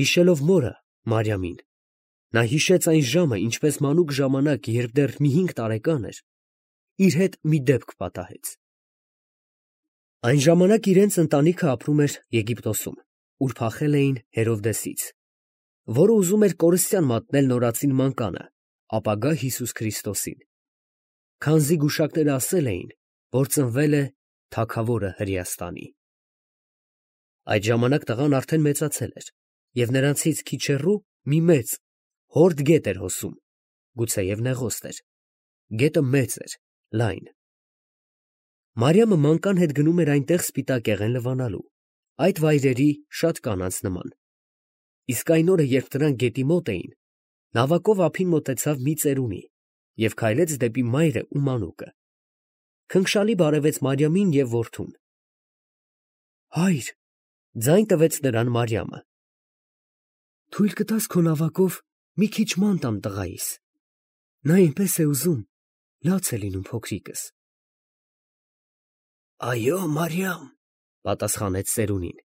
Հիշելով մորը, Մարիամին, նա հիշեց այն ժամը, ինչպես մանուկ ժամանակ, երբ դեռ մի 5 տարեկան էր, իր հետ մի դեպք պատահեց։ Այն ժամանակ իրենց ընտանիքը ապրում էր Եգիպտոսում, ուր փախել էին Հերովդեսից, որը ուզում էր կորստյան մատնել նորածին մանկանը, ապագա Հիսուս Քրիստոսին, քանզի գուշակները ասել էին, որ ծնվել է Թագավորը Հրեաստանի։ Այդ ժամանակ տղան արդեն մեծացել էր, և նրանցից քիչ հեռու մի մեծ, հորդ գետ էր հոսում, գուցեև նեղոստ էր, գետը մեծ էր, լայն։ Մարիամը մանկան հետ գնում էր այնտեղ սպիտակեղեն լվանալու, այդ վայրերի շատ կանանց նման։ Իսկ այն օրը, երբ նրանք գետի մոտ էին, նավակով ափին մոտեցավ մի ծերունի և քայլեց դեպի մայրը ու մանուկը։ Քնքշալի բարևեց Մարիամին և որդուն։ «Հայր», ձայն տվեց նրան Մարիամը, «թույլ կտա՞ս քո նավակով մի քիչ ման տամ տղայիս. նա այնպես է ուզում, լաց է լինում փոքրիկս»։ «Այո, Մարիամ», պատասխանեց ծերունին,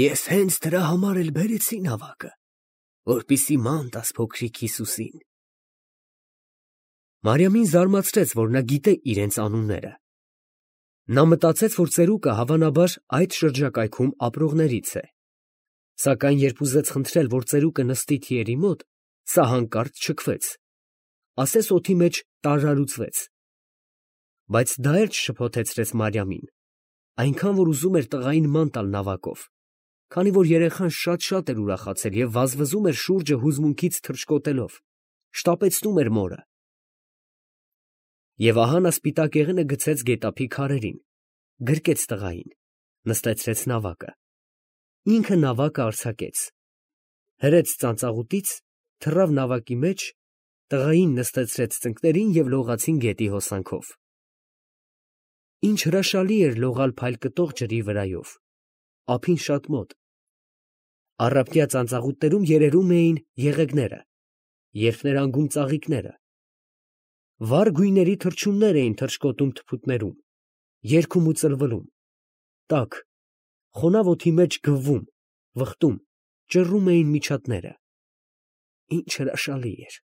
«ես հենց դրա համար էլ բերեցի նավակը, որպեսզի ման տաս փոքրիկ Հիսուսին»։ Մարիամին զարմացրեց, որ նա գիտե իրենց անունները։ Նա մտածեց, որ ծերուկը հավանաբար այդ շրջակայքում ապրողներից է, սակայն երբ ուզեց խնդրել, որ ծերուկը նստի թիերի մոտ, սա հանկարծ չքվեց, ասես օդի մեջ տարրարուծվեց։ Բայց դա էլ չշփոթեցրեց Մարիամին, այնքան որ ուզում էր տղային ման տալ նավակով, քանի որ երեխան շատ էր ուրախացել և վազվզում էր շուրջը հուզմունքից թռչկոտելով, շտապեցնում էր մորը։ Եվ ահա նա սպիտակեղենը գցեց գետափի քարերին, գրկեց տղային, նստեցրեց նավակը, ինքը նավակը արձակեց, հրեց ծանծաղուտից, թռավ նավակի մեջ, տղային նստեցրեց ծնկներին և լողացին գետի հոսանքով։ Ինչ հրաշալի էր լողալ փայլկտող ջրի վրայով, ափին շատ մոտ։ Առափկյա ծանծաղուտներում երերում էին եղեգները, երթներանգում ծաղիկները, վառ գույների թռչուններ էին թռչկոտում թփուտներում, երգում ու ծլվլում, տաք, խոնավ օդի մեջ գվվում, վխտում, ճռռում էին միջատները։ Ինչ հրաշալի էր։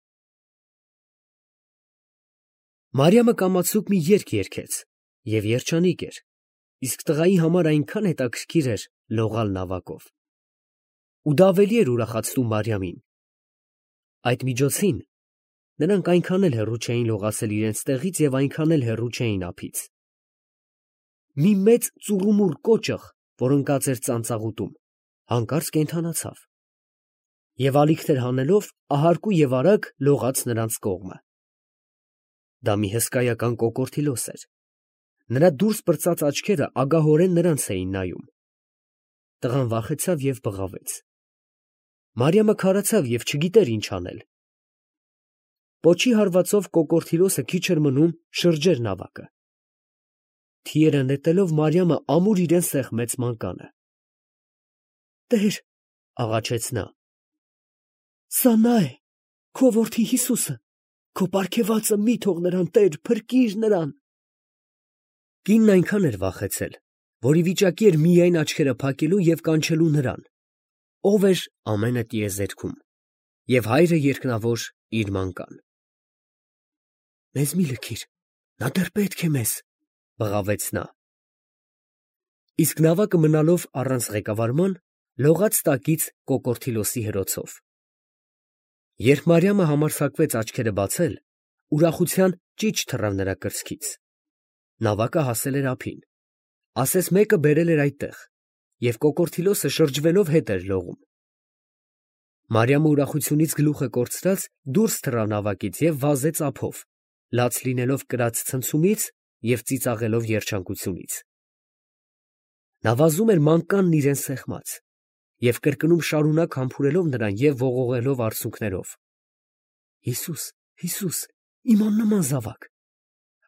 Մարիամը կամացուկ մի երգ երգեց և երջանիկ էր, իսկ տղայի համար այնքան հետաքրքիր էր լողալ նավակով։ Ու դա ավելի էր ուրախացնում Մարիամին։ Այդ միջոցին նրանք այնքան էլ հեռու չէին լողացել իրենց տեղից և այնքան էլ հեռու չէին ափից։ Մի մեծ ծուռումուռ կոճղ, որ ընկած էր ծանծաղուտում, հանկարծ կենդանացավ և ալիքներ հանելով ահարկու և արագ լողաց նրանց կողմը։ Դա մի հսկայական կոկորդիլոս էր։ Նրա դուրս պրծած աչքերը ագահորեն նրանց էին նայում։ Տղան վախեցավ և բղավեց։ Մարիամը քարացավ և չգիտեր ինչ անել։ Պոչի հարվածով կոկորդիլոսը քիչ էր մնում շրջեր նավակը։ Թիերը նետելով Մարիամը ամուր իրան սեղմեց մանկանը։ «Տեր», աղաչեց նա, «սա նա է, քո որդի Հիսուսը, քո պարգևածը մի թող նրան, Տեր, փրկիր նրան»։ Կինն այնքան էր վախեցել, որ ի վիճակի էր միայն աչքերը փակելու և կանչելու նրան, ով էր ամենը տիեզերքում, և հայրը երկնավոր իր մանկան։ «Մեզ մի լքիր, նա դեռ պետք է մեզ», բղավեց նա։ Իսկ նավակը մնալով առանց ղեկավարման, լողաց տակից կոկորդիլոսի հրոցով։ Երբ Մարիամը համարձակվեց աչքերը բացել, ուրախության ճիչ թռավ նրա կրծքից։ Նավակը հասել էր ափին, ասես մեկը բերել էր այդտեղ, և կոկորդիլոսը շրջվելով հետ էր լողում։ Մարիամը ուրախությունից գլուխը կորցրած դուրս թռավ նավակից և վազեց ափով, լաց լինելով կրած ցնցումից և ծիծաղելով երջանկությունից։ Նա վազում էր մանկանն իրան սեղմած և կրկնում շարունակ համբուրելով նրան և ողողելով արցունքներով. «Հիսուս, Հիսուս, իմ աննման զավակ,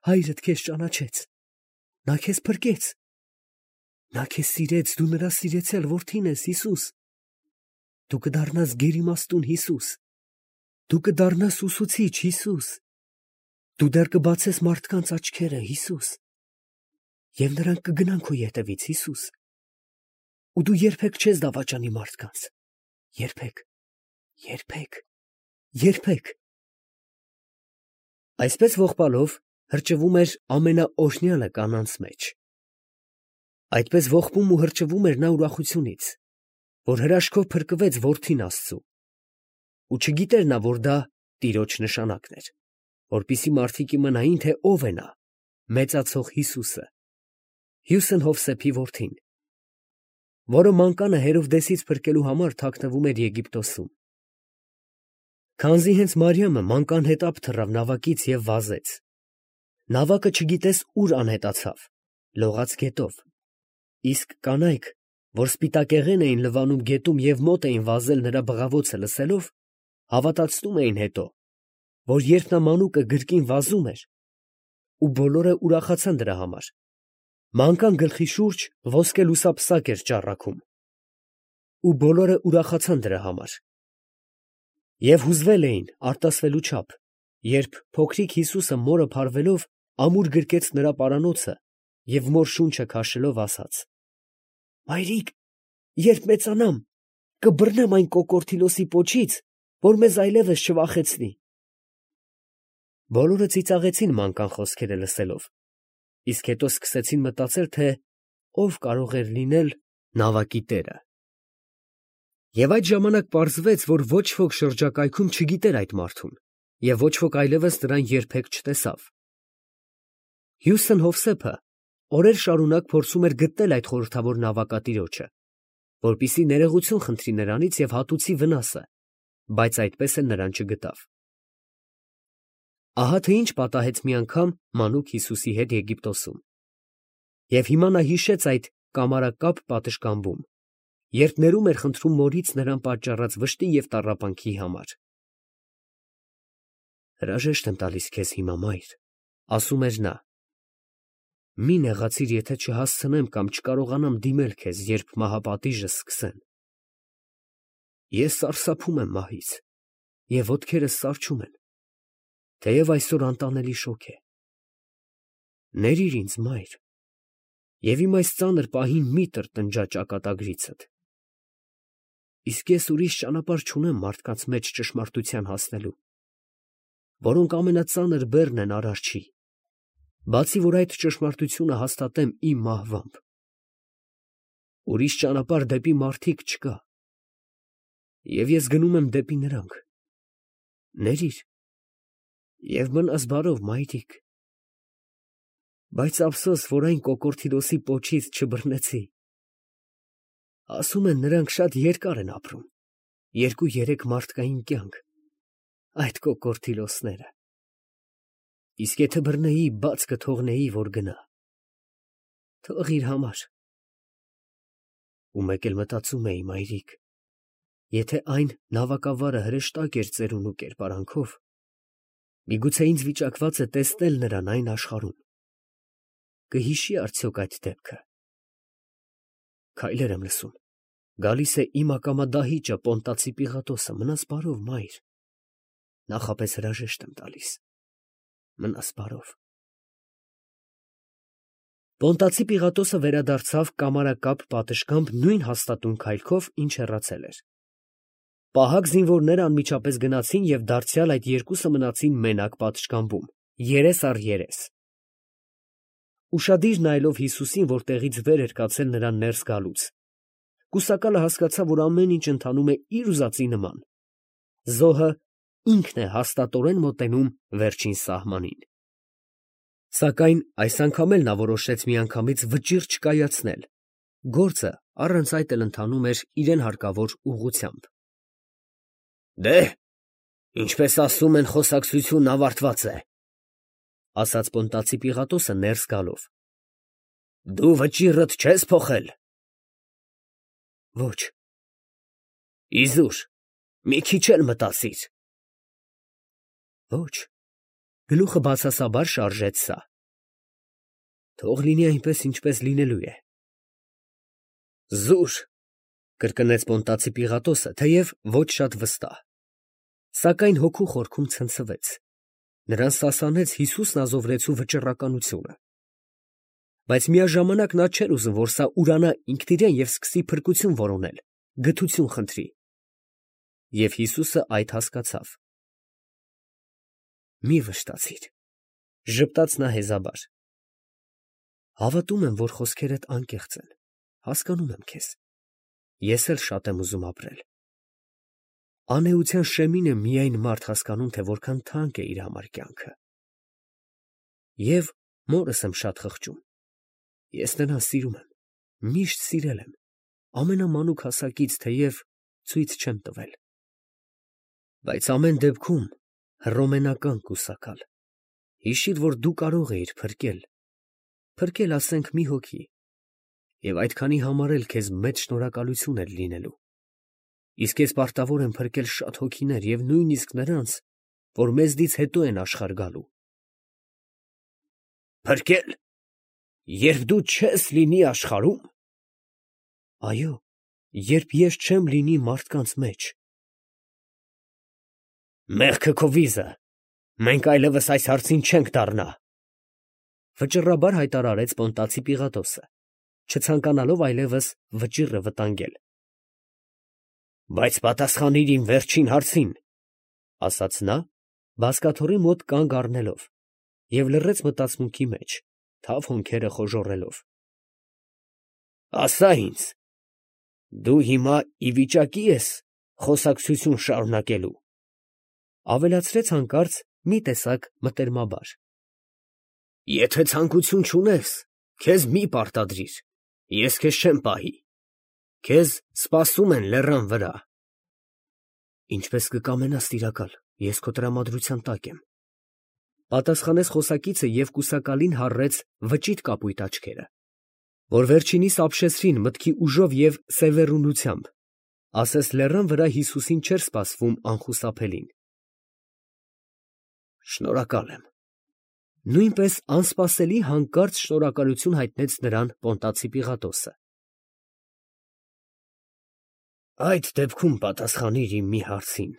հայրդ քեզ ճանաչեց, նա քեզ փրկեց, նա քեզ սիրեց, դու նրա սիրեցյալ որդին ես, Հիսուս, դու կդառնաս գերիմաստուն Հիսուս, դու կդառնաս ուսուցիչ Հիսուս, դու դեռ կբացես մարդկանց աչքերը, Հիսուս, և նրանք կգնան քո ետևից, Հիսուս, ու դու երբեք չես դավաճանի մարդկանց, Երբեք, երբեք, երբեք։ Այսպես ողբալով հրճվում էր ամենաօրհնյալը կանանց մեջ։ Այդպես ողբում ու հրճվում էր նա ուրախությունից, որ հրաշքով փրկվեց որդին Աստծու, ու չգիտեր նա, որ դա Տիրոջ նշանակն էր, որպեսզի մարդիկ իմանային, թե ով է նա, մեծացող Հիսուսը, Հյուսն Հովսեփի որդին, որը մանկանը Հերովդեսից փրկելու համար թաքնվում էր Եգիպտոսում։ Քանզի հենց Մարիամը մանկան հետապ թռավ նավակից և վազեց։ Նավակը չգիտես ուր անհետացավ, լողաց գետով, իսկ կանայք, որ սպիտակեղեն էին լվանում գետում և մոտ էին վազել նրա բղավոցը լսելով, հավատացնում էին հետո, որ երբ նա մանուկը գրկին վազում էր, ու բոլորը ուրախացան դրա համար, մանկան գլխի շուրջ ոսկե լուսափսակ էր ճառագում, ու բոլորը ուրախացան դրա համար։ Եվ հուզվել էին արտասվելու չափ, երբ փոքրիկ Հիսուսը մորը փարվելով ամուր գրկեց նրա պարանոցը և մոր շունչը քաշելով ասաց. «Մայրիկ, երբ մեծանամ, կբռնեմ այն կոկորդիլոսի պոչից, որ մեզ այլևս չվախեցնի»։ Բոլորը ծիծաղեցին մանկան խոսքերը լսելով, իսկ հետո սկսեցին մտածել, թե ով կարող էր լինել նավակի տերը։ Եվ այդ ժամանակ պարզվեց, որ ոչ ոք շրջակայքում չգիտեր այդ մարդուն, և ոչ ոք այլևս նրան երբեք չտեսավ։ Հյուսն Հովսեփը օրեր շարունակ փորձում էր գտնել այդ խորհրդավոր նավակատիրոջը, որպեսզի ներողություն խնդրի նրանից և հատուցի վնասը, բայց այդպես էլ նրան չգտավ։ Ահա թե ինչ պատահեց մի անգամ մանուկ Հիսուսի հետ Եգիպտոսում։ Եվ հիմա նա հիշեց այդ կամարակապ պատշգամբում, երբ ներում էր խնդրում մորից նրան պատճառած վշտի և տառապանքի համար։ «Հրաժեշտ եմ տալիս քեզ հիմա, մայր», ասում էր նա։ «Մի նեղացիր, եթե չհասցնեմ կամ չկարողանամ դիմել քեզ, երբ մահապատիժը սկսեն։ Ես սարսափում եմ մահից, և ոտքերս սառչում են, թեև այսօր անտանելի շոգ է։ Ներիր ինձ, մայր, և իմ այս ծանր պահին մի տրտնջա ճակատագրիցդ։ Իսկ ես ուրիշ ճանապարհ չունեմ մարդկանց մեջ ճշմարտության հասնելու, որոնք ամենածանր բեռն են Արարչի, բացի որ այդ ճշմարտությունը հաստատեմ իմ մահվամբ։ Ուրիշ ճանապարհ դեպի մարդիկ չկա, և ես գնում եմ դեպի նրանք։ Ներիր և մնաս բարով, մայրիկ։ Բայց ափսոս, որ այն կոկորդիլոսի պոչից չբռնեցի։ Ասում են, նրանք շատ երկար են ապրում, 2-3 մարդկային կյանք, այդ կոկորդիլոսները։ Իսկ եթե բռնեի, բաց կթողնեի, որ գնա։ Թող իր համար։ Ու մեկ էլ մտածում էի, մայրիկ, եթե այն նավակավարը հրեշտակ էր ծերունու կերպարանքով, միգուցե ինձ վիճակված է տեսնել նրան այն աշխարհում, կհիշի արդյոք այդ դեպքը։ Քայլեր եմ լսում, գալիս է իմ ակամա դահիճը Պոնտացի Պիղատոսը, մնաս բարով, մայր, նախապես հրաժեշտ եմ տալիս, մնաս բարով։ Պոնտացի Պիղատոսը վերադարձավ կամարակապ պատշգամբ նույն հաստատուն քայլքով, ինչ հեռացել էր։ Պահակ զինվորները անմիջապես գնացին և դարձյալ այդ երկուսը մնացին մենակ պատշգամբում, երես առ երես։ Ուշադիր նայելով Հիսուսին, որ տեղից վեր էր կացել նրան ներս գալուց, կուսակալը հասկացավ, որ ամեն ինչ ընթանում է իր ուզածի նման։ Զոհը ինքն է հաստատորեն մոտենում վերջին սահմանին։ Սակայն այս անգամ էլ նա որոշեց միանգամից վճիռ չկայացնել, գործը առանց այդ էլ ընթանում էր իրան հարկավոր ուղղությամբ։ «Դե, ինչպես ասում են, խոսակցությունն ավարտված է», ասաց Պոնտացի Պիղատոսը ներս գալով։ «Դու վճիռդ չես փոխել»։ Ոչ։ Իզուր, մի քիչ էլ մտածիր։ Ոչ, գլուխը բացասաբար շարժեց սա։ Թող լինի այնպես, ինչպես լինելու է։ Զուր, կրկնեց Պոնտացի Պիղատոսը, թեև ոչ շատ վստահ, սակայն հոգու խորքում ցնցվեց, նրան սասանեց Հիսուսն ազովրեցու վճռականությունը։ Բայց միաժամանակ նա չէր ուզում, որ սա ուրանա ինքնիրան և սկսի փրկություն որոնել, գթություն խնդրի։ Եվ Հիսուսը այդ հասկացավ։ Մի վշտացիր, ժպտաց նա հեզաբար։ Հավատում եմ, որ խոսքերդ անկեղծ են, հասկանում եմ քեզ։ Ես էլ շատ եմ ուզում ապրել։ Անեության շեմին է միայն մարդ հասկանում, թե որքան թանկ է իր համար կյանքը։ Եվ մորս եմ շատ խղճում։ Ես նրան սիրում եմ, միշտ սիրել եմ, ամենամանուկ հասակից, թեև ցույց չեմ տվել։ Բայց ամեն դեպքում հռոմենական կուսակալ։ Հիշիր, որ դու կարող էիր փրկել, ասենք, մի հոգի, և այդքանի համար էլ քեզ մեծ շնորհակալություն էր լինելու։ Իսկ ես պարտավոր եմ փրկել շատ հոգիներ և նույնիսկ նրանց, որ մեզնից հետո են աշխարհ գալու։ Փրկել, երբ դու չես լինի աշխարհում։ Այո, երբ ես չեմ լինի մարդկանց մեջ։ Մեղքը քո վիզը, մենք այլևս այս հարցին չենք դառնա, վճռաբար հայտարարեց Պոնտացի Պիղատոսը, չցանկանալով այլևս վճիռը վտանգել։ Բայց պատասխանիր իմ վերջին հարցին, ասաց նա, բազկաթոռի մոտ կանգ առնելով, և լռեց մտածմունքի մեջ, թավ հոնքերը խոժոռելով։ Ասա ինձ, դու հիմա ի վիճակի ես խոսակցություն շարունակելու, ավելացրեց հանկարծ մի տեսակ մտերմաբար։ Եթե ցանկություն չունես, քեզ մի պարտադրիր, ես քեզ չեմ պահի, քեզ սպասում են լեռան վրա։ Ինչպես կկամենաս, տիրակալ, ես քո տրամադրության տակ եմ, պատասխանեց խոսակիցը և կուսակալին հառեց վճիտ կապույտ աչքերը, որ վերջինիս ապշեցրին մտքի ուժով և սևեռունությամբ, ասես լեռան վրա Հիսուսին չէր սպասվում անխուսափելին։ Շնորհակալ եմ։ Նույնպես անսպասելի հանկարծ շնորհակալություն հայտնեց նրան Պոնտացի Պիղատոսը։ Այդ դեպքում պատասխանիր իմ մի հարցին,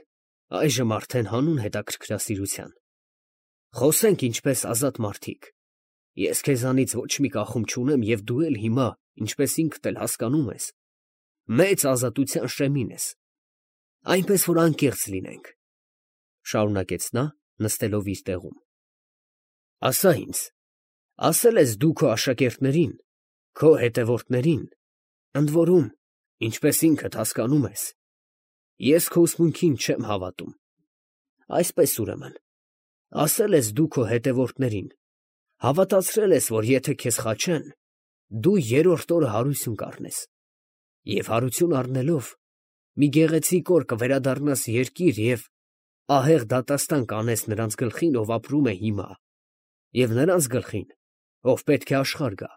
այժմ արդեն հանուն հետաքրքրասիրության։ Խոսենք ինչպես ազատ մարդիկ։ Ես քեզանից ոչ մի կախում չունեմ և դու էլ հիմա, ինչպես ինքդ էլ հասկանում ես, մեծ ազատության շեմին ես։ Այնպես որ անկեղծ լինենք, շարունակեց նա, նստելով իր տեղում։ Ասա ինձ, ասել ես դու քո աշակերտներին, քո հետևորդներին, ընդ որում, ինչպես ինքդ հասկանում ես, ես քո ուսմունքին չեմ հավատում։ Այսպես ուրեմն, ասել ես դու քո հետևորդներին, հավատացրել ես, որ եթե քեզ խաչեն, դու երրորդ օրը հարություն կառնես, և հարություն առնելով, մի գեղեցիկ օր կվերադառնաս երկիր և ահեղ դատաստան կանես նրանց գլխին, ով ապրում է հիմա, և նրանց գլխին, ով պետք է աշխարհ գա,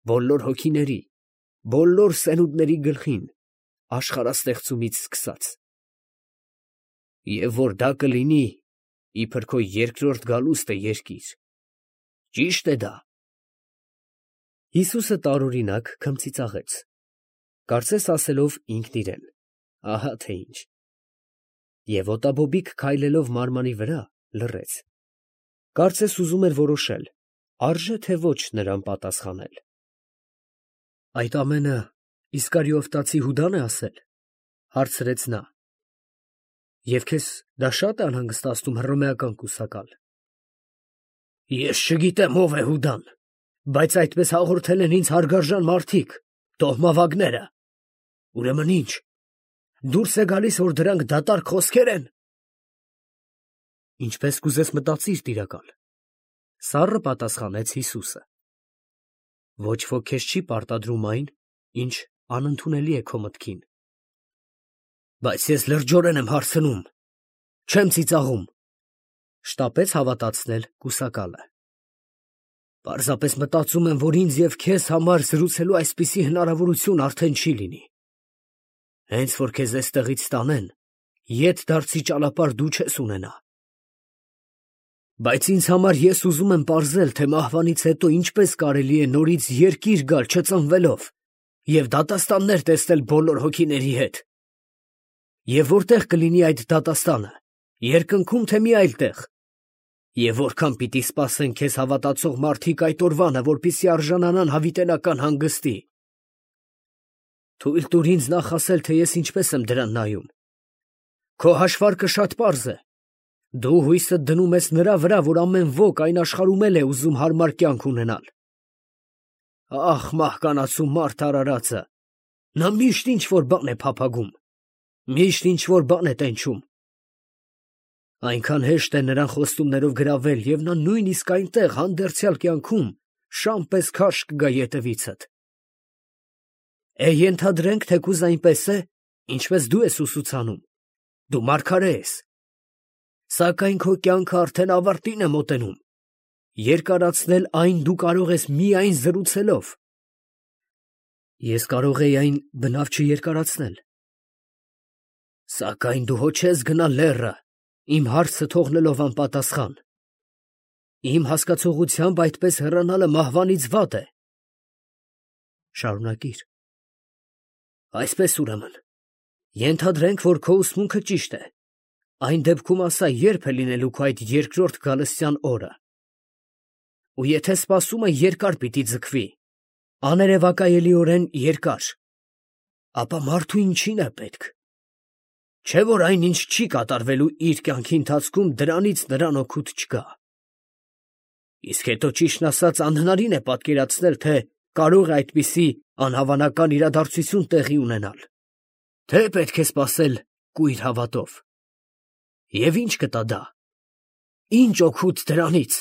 բոլոր հոգիների, բոլոր սերունդների գլխին, աշխարհաստեղծումից սկսած։ Եվ որ դա կլինի իբր քո երկրորդ գալուստը երկիր։ Ճի՞շտ է դա։ Հիսուսը տարօրինակ քմծիծաղեց, կարծես ասելով ինքն իրեն. ահա թե ինչ։ Եվ ոտաբոբիկ քայլելով մարմանի վրա, լռեց։ Կարծես ուզում էր որոշել, արժե թե ոչ նրան պատասխանել։ Այդ ամենը Իսկարիովտացի Հուդա՞ն է ասել, հարցրեց նա։ Եվ քեզ դա շատ է անհանգստացնում, հռոմեական կուսակալ։ Ես չգիտեմ ով է Հուդան, բայց այդպես հաղորդել են ինձ հարգարժան մարդիկ, տոհմավագները։ Ուրեմն ի՞նչ, դուրս է գալիս, որ դրանք դատարկ խոսքեր են։ Ինչպես կուզես մտածիր, տիրակալ, սառը պատասխանեց Հիսուսը։ Ոչ ոք քեզ չի պարտադրում այն, ինչ անընդունելի է քո մտքին։ Բայց ես լրջորեն եմ հարցնում, չեմ ծիծաղում, շտապեց հավատացնել կուսակալը։ Պարզապես մտածում եմ, որ ինձ և քեզ համար զրուցելու այսպիսի հնարավորություն արդեն չի լինի։ Հենց որ քեզ էստեղից տանեն, ետ դարձի ճանապարհ դու չես ունենա։ Բայց ինձ համար ես ուզում եմ պարզել, թե մահվանից հետո ինչպես կարելի է նորից երկիր գալ չծնվելով և դատաստաններ տեսնել բոլոր հոգիների հետ։ Եվ որտեղ կլինի այդ դատաստանը, երկնքում թե մի այլ տեղ։ Եվ որքան պիտի սպասեն քեզ հավատացող մարդիկ այդ օրվանը, որպեսզի արժանանան հավիտենական հանգստի։ Թույլ տուր ինձ նախ ասել, թե ես ինչպես եմ դրան նայում։ Քո հաշվարկը շատ պարզ է։ Դու հույսդ դնում ես նրա վրա, որ ամեն ոք այն աշխարհում էլ է ուզում հարմար կյանք ունենալ։ Ախ, մահկանացու մարդ արարածը, նա միշտ ինչ-որ բան է փափագում, միշտ ինչ-որ բան է տենչում։ Այնքան հեշտ է նրան խոստումներով գրավել, և նա նույնիսկ այնտեղ հանդերձյալ կյանքում շան պես քարշ կգա ետևիցդ։ Ենթադրենք, թեկուզ այնպես է, ինչպես դու ես ուսուցանում, դու մարգարե ես, սակայն քո կյանքը արդեն ավարտին է մոտենում, երկարացնել այն դու կարող ես միայն զրուցելով։ Ես կարող էի այն բնավ չերկարացնել։ Սակայն դու հո չես գնա լեռը, իմ հարցը թողնելով անպատասխան։ Իմ հասկացողությամբ այդպես հեռանալը մահվանից վատ է։ Շարունակիր։ Այսպես ուրեմն, ենթադրենք, որ քո ուսմունքը ճիշտ է, այն դեպքում ասա, երբ է լինելու քո այդ երկրորդ գալստյան օրը։ Ու եթե սպասումը երկար պիտի ձգվի, աներևակայելիորեն երկար, ապա մարդու ինչին է պետք։ Չէ՞ որ այն, ինչ չի կատարվելու իր կյանքի ընթացքում, դրանից նրան օգուտ չկա։ Իսկ հետո ճիշտն ասած անհնարին է պատկերացնել, թե կարող է այդպիսի անհավանական իրադարձություն տեղի ունենալ, թե պետք է սպասել կույր հավատով։ Եվ ի՞նչ կտա դա։ Ի՞նչ օգուտ դրանից։